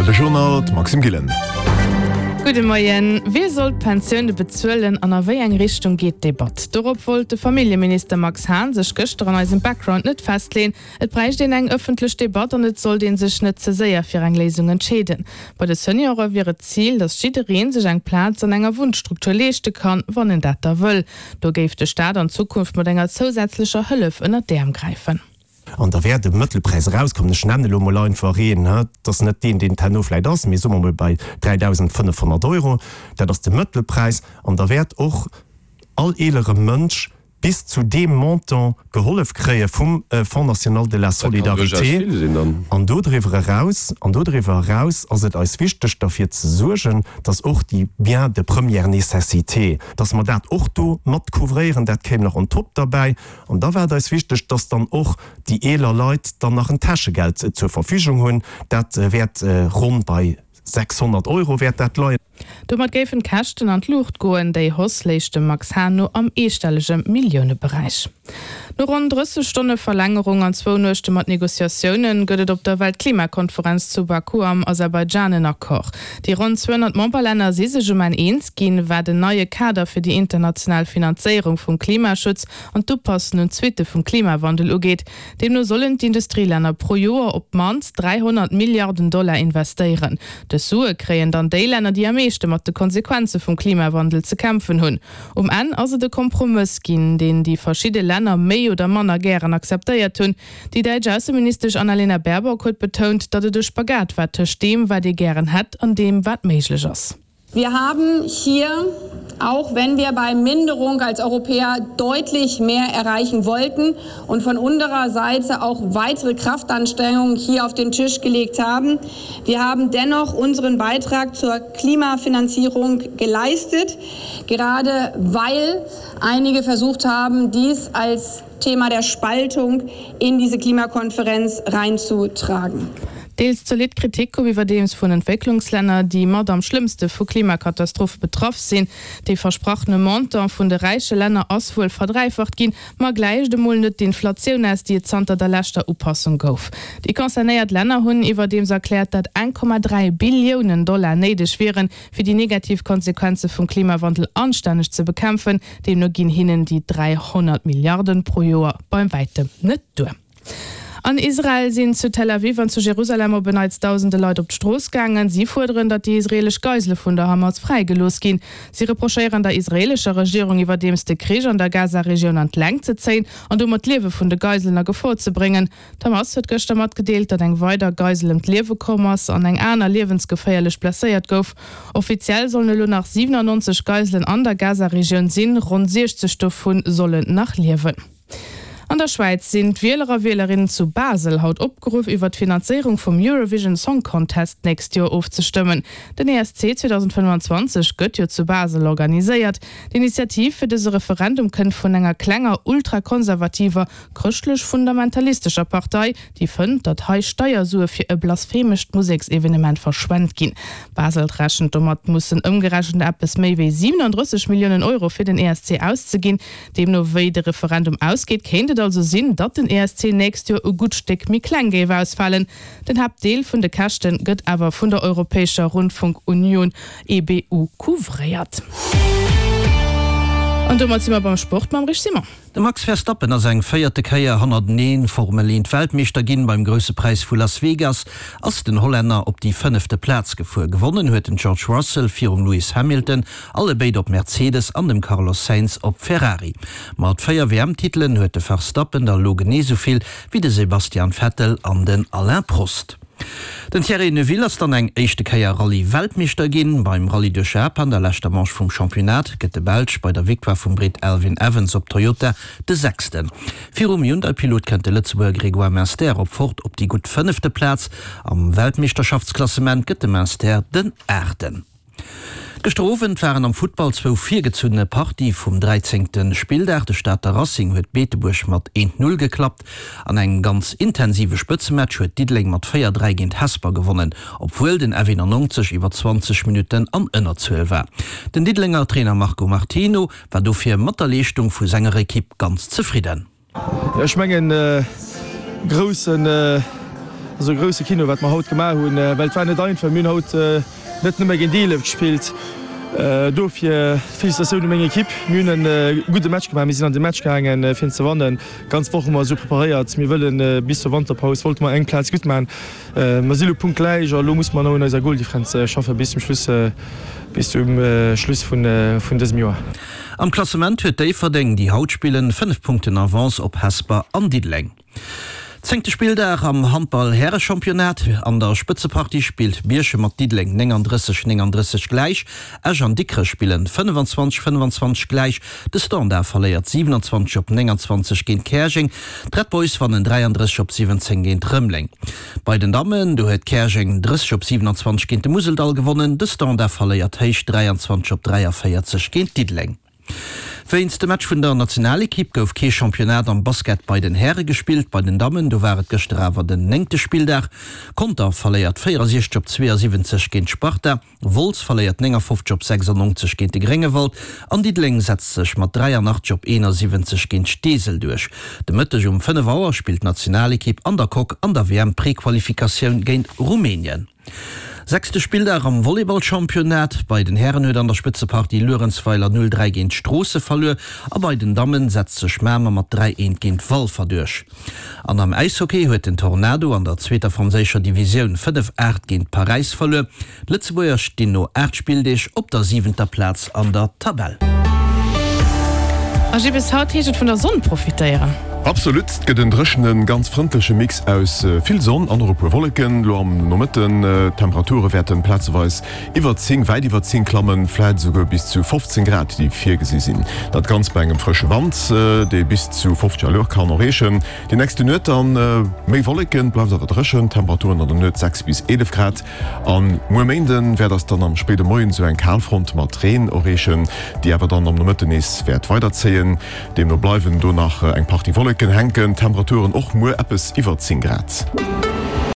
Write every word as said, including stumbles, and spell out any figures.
R T L de Journal, d'Maxime Gillen. Gudde Moien. Wie soll d'Pensioune bezuelen an a wéi eng Richtung geet d'Debatt? Dorop wollt de Familljeminister Max Hahn sech gëschter an eisem Background net festleeën. Et bräicht een eng ëffentlech Debatt an et sollt ee sech net ze séier fir eng Léisung entscheeden. Bei de Seniore wier et d'Zil, datt jidderee sech eng Plaz an enger Wunnstruktur leeschte kann, wann en dat da wëll. Do géif de Staat an Zukunft mat enger zousätzlecher Hëllef ënner d'Äerm gräifen. An da wäert e Mëttelpräis erauskommen, ech nennen elo mol einfach een, dat ass net deen, deen et herno vläicht ass, mee soe mer mol bei dräidausendfënnefhonnert Euro, dat ass de Mëttelpräis. An da wäert och all eelere Mënsch bis zu deem Montant gehollef kréie vum Fonds national de la solidarité. An dodriwwer eraus, an dodriwwer eraus ass et eis wichteg derfir ze suergen, dass och déi Biens de première nécessité, dass mer dat och do mat couvréieren, dat kéim nach on top derbäi. An da war et eis wichteg, dass dann och déi eeler Leit dann nach en Täschegeld zur Verfügung hunn. Dat wäert ronn bei sechshonnert Euro wäert dat leien. Domat géifen d'Käschten an d'Luucht goen. Déi Hausse léich dem Max Hahn no am eestellege Milliouneberäich. No ronn drësseg Stonne Verlängerung an zwou Nuechte mat Negociatioune gëtt et op der Weltklimakonferenz zu Baku am Aserbaidschan en Accord. Déi ronn zweehonnert Memberlänner si sech um Enn eens ginn, wat en neie Kader fir déi international Finanzéierung vum Klimaschutz an d'Upassen un d'Suitte vum Klimawandel ugeet. Deemno sollen d'Industrielänner pro Joer op d'mannst dräihonnert Milliarden Dollar investéieren. Dës Sue kréien dann déi Länner, déi am meeschte mat de Konsequenze vum Klimawandel ze kämpfen hunn. Um Enn ass et e Kompromëss ginn, deen déi verschidde Länner méi oder manner gären akzeptéiert hunn. Déi däitsch Ausseministesch Annalena Baerbock huet betount, datt et e Spagat war tëscht deem, wat ee gären hätt an deem, wat méiglech ass. Wir haben hier, auch wenn wir bei Minderung als Europäer deutlich mehr erreichen wollten und von unserer Seite auch weitere Kraftanstrengungen hier auf den Tisch gelegt haben, wir haben dennoch unseren Beitrag zur Klimafinanzierung geleistet, gerade weil einige versucht haben, dies als Thema der Spaltung in diese Klimakonferenz reinzutragen. Deels zolidd Kritik koum iwwerdeems vun Entwécklungslänner, déi mat am schlëmmste vu Klimakatastrophe betraff sinn. Dee versprachene Montant vun de räiche Länner ass wuel verdräifacht ginn, ma gläicht emol net d'Inflatioun aus, déi et zanter der leschter Upassung gouf. Déi concernéiert Länner hunn iwwerdeems erkläert, datt eng Komma dräi Billiounen Dollar néideg wieren, fir déi negativ Konsequenze vum Klimawandel anstänneg ze bekämpfen. Deemno ginn hinnen déi dräihonnert Milliarden pro Joer beim wäitem net duer. An Israel sinn zu Tel Aviv an zu Jerusalem op en Neits dausende Leit op d'Strooss gaangen. Si fuerderen, datt déi israeelesch Geisele vun der Hamas fräigelooss ginn. Si reprochéieren der israeelescher Regierung iwwerdeems, de Krich an der Gaza-Regioun an d'Längt ze zéien an domat d'Liewe vun de Geiselen a Gefor ze bréngen. D'Hamas huet gëschter matgedeelt, datt eng weider Geisel ëm d'Liewe komm ass an eng aner liewensgeféierlech blesséiert gouf. Offiziell sollen elo nach siwenannonzeg Geiselen an der Gaza-Regioun sinn, ronn siechzeg dovu sollen nach liewen. An der Schwäiz sinn d'Wieler a Wielerinnen zu Basel haut opgeruff, iwwer d'Finanzéierung vum Eurovision Song Contest d'nächst Joer ofzestëmmen. Den E S C zweedausendfënnefanzwanzeg gëtt jo zu Basel organiséiert. D'Initiativ fir dëse Referendum kënnt vun enger klenger ultrakonservativer, chrëschtlech-fundamentalistescher Partei, déi fënnt, datt hei Steiersue fir e blasphemescht Museksevenement verschwent ginn. Basel rechent domat, mussen ëmgerechent eppes méi wéi siwenandrësseg Milliounen Euro fir den E S C auszeginn. Deemno wéi de Referendum ausgeet, kéint et also sinn, datt den E S C nächst Joer e gutt Stéck méi kleng géif ausfalen. Den Haaptdeel vun de Käschte gëtt awer vun der Europäescher Rundfunkunion, E B U, couvréiert. An domat si mer beim Sport mam Rich Simon. De Max Verstappen ass eng véierte Kéier hannerteneen Formel eent Weltmeeschter ginn. Beim Grousse Präis vu Las Vegas ass den Hollänner op déi fënnefte Plaz gefuer. Gewonnen huet den George Russell virum Lewis Hamilton, alle béid op Mercedes, an dem Carlos Sainz op Ferrari. Mat véier W M-Titelen huet de Verstappen der elo genee esou vill wéi de Sebastian Vettel an den Alain Prost. Den Thierry Neuville ass dann eng éischte Kéier Rallye-Weltmeeschter ginn. Beim Rallye duerch Japan, der leschter Manche vum Championnat, gëtt de Belsch bei der Victoire vum Britt Elfyn Evans op Toyota de Sechsten. Virum Hyundai-Pilot kënnt de Lëtzebuerger Grégoire Munster op Ford op déi gutt fënnefte Plaz. Am Weltmeeschterschaftsklassement gëtt de Munster den Aachten. Gëschter Owend waren am Futtball zwou virgezunne Partie vum dräizéngte Spilldag. De Stater Racing huet Beetebuerg mat eent Null geklappt. An engem ganz intensive Spëtzematch huet Diddeleng mat véier Dräi géint Hesper gewonnen, obwuel den F eenannonzeg iwwer zwanzeg Minutten an Ënnerzuel war. Den Diddelenger Trainer Marco Martino war dofir mat der Leeschtung vu senger Ekipp ganz zefridden. Ech mengen, groussen Ass e grousse Kino wat mer haut gemaach hunn, well et war net einfach. Mir hunn haut net nëmme géint eelef gespillt. Dofir Felicitatioun u meng Ekipp. Mir hunn e gudde Match gemaach. Mir sinn an de Match gaangen, fir en ze wannen. D'ganz Woch hu mer esou preparéiert. Mir wëllen bis zur Wanterpaus wollte mer eng Plaz gutt maachen. Mer si lo punktgläich a lo musse mer nach un eiser Goldifferenz schaffen bis zum Schluss, bis zum Schluss vun dësem Joer. Am Klassement huet Déifferdeng, déi haut spillen, fënnef Punkten Avance op Hesper an Diddeleng. Zéngte Spilldag am Handball-Härechampionnat. An der Spëtzepartie spillt Bierchem mat Diddeleng néngandrësseg néngandrësseg gläich. Esch an Dikrech spillen fënnefenzwanzeg fënnefenzwanzeg gläich. De Standard verléiert siwenanzwanzeg op nénganzwanzeg géint Käerjeng. D'Red Boys wannen dräiandrësseg op siwwenzéng géint Rëmeleng. Bei den Dammen, do huet Käerjeng drësseg op siwenanzwanzeg géint de Museldall gewonnen. De Standard verléiert héich dräianzwanzeg op dräiavéierzeg géint Diddeleng. Wéinst dem Match vun der Nationalekipp gouf kee Championnat am Basket bei den Häre gespillt. Bei den Dammen, do war et gëschter awer den néngte Spilldag. Conter verléiert véierundsechzeg op zweeënsiwwenzeg géint d'Sparta, Wolz verléiert néngafofzeg op sechsundneunzeg géint de Gréngewald an Diddeleng setzt sech mat dräianachtzeg op eenasiwwenzeg géint Steesel duerch. De Mëtteg um fënnef Auer spillt d'Nationalekipp an der Coque an der W M-Prequalifikatioun géint Rumänien. Sechste Spilldag am Volleyball-Championnat, Bei den Hären huet an der Spëtzepartie Luerenzweiler null dräi géint Stroosse verluer a bei den Dammen setzt sech Mamer mat dräi eent géint Walfer duerch. An am Äishockey huet den Tornado an der zweeter franséischer Divisioun fënnef aacht géint Paräis verluer. D'Lëtzebuerger stinn no aacht Spilldeeg op der siwenter Plaz an der Tabell. A Gilles, haut heescht et vun der Sonn profitéieren. Absolut, et gëtt en dréchenen, ganz frëndleche Mix aus vill Sonn an och e puer Wolleken lo am Nomëtten. D'Temperature wäerten plazeweis iwwer zéng, wäit iwwer zéng klammen, vläit esouguer bis zu fofzéng Grad, déi virgesi sinn. Dat Ganzt bei engem frësche Wand, dee bis zu fofzeg Allure kann erreechen. Déi nächste Nuet dann méi Wolleken, bleift awer dréchen, Temperaturen an der Nuet sechs bis eelef Grad. An muer Méinde wäert eis dann am spéide Moien esou eng Kalfront mat Reen erreechen, déi awer dann am Nomëtten nees wäert weiderzéien. Deemno bleiwen do nach eng Partie Wolleken hänken, Temperaturen och muer eppes iwwer zéng Grad.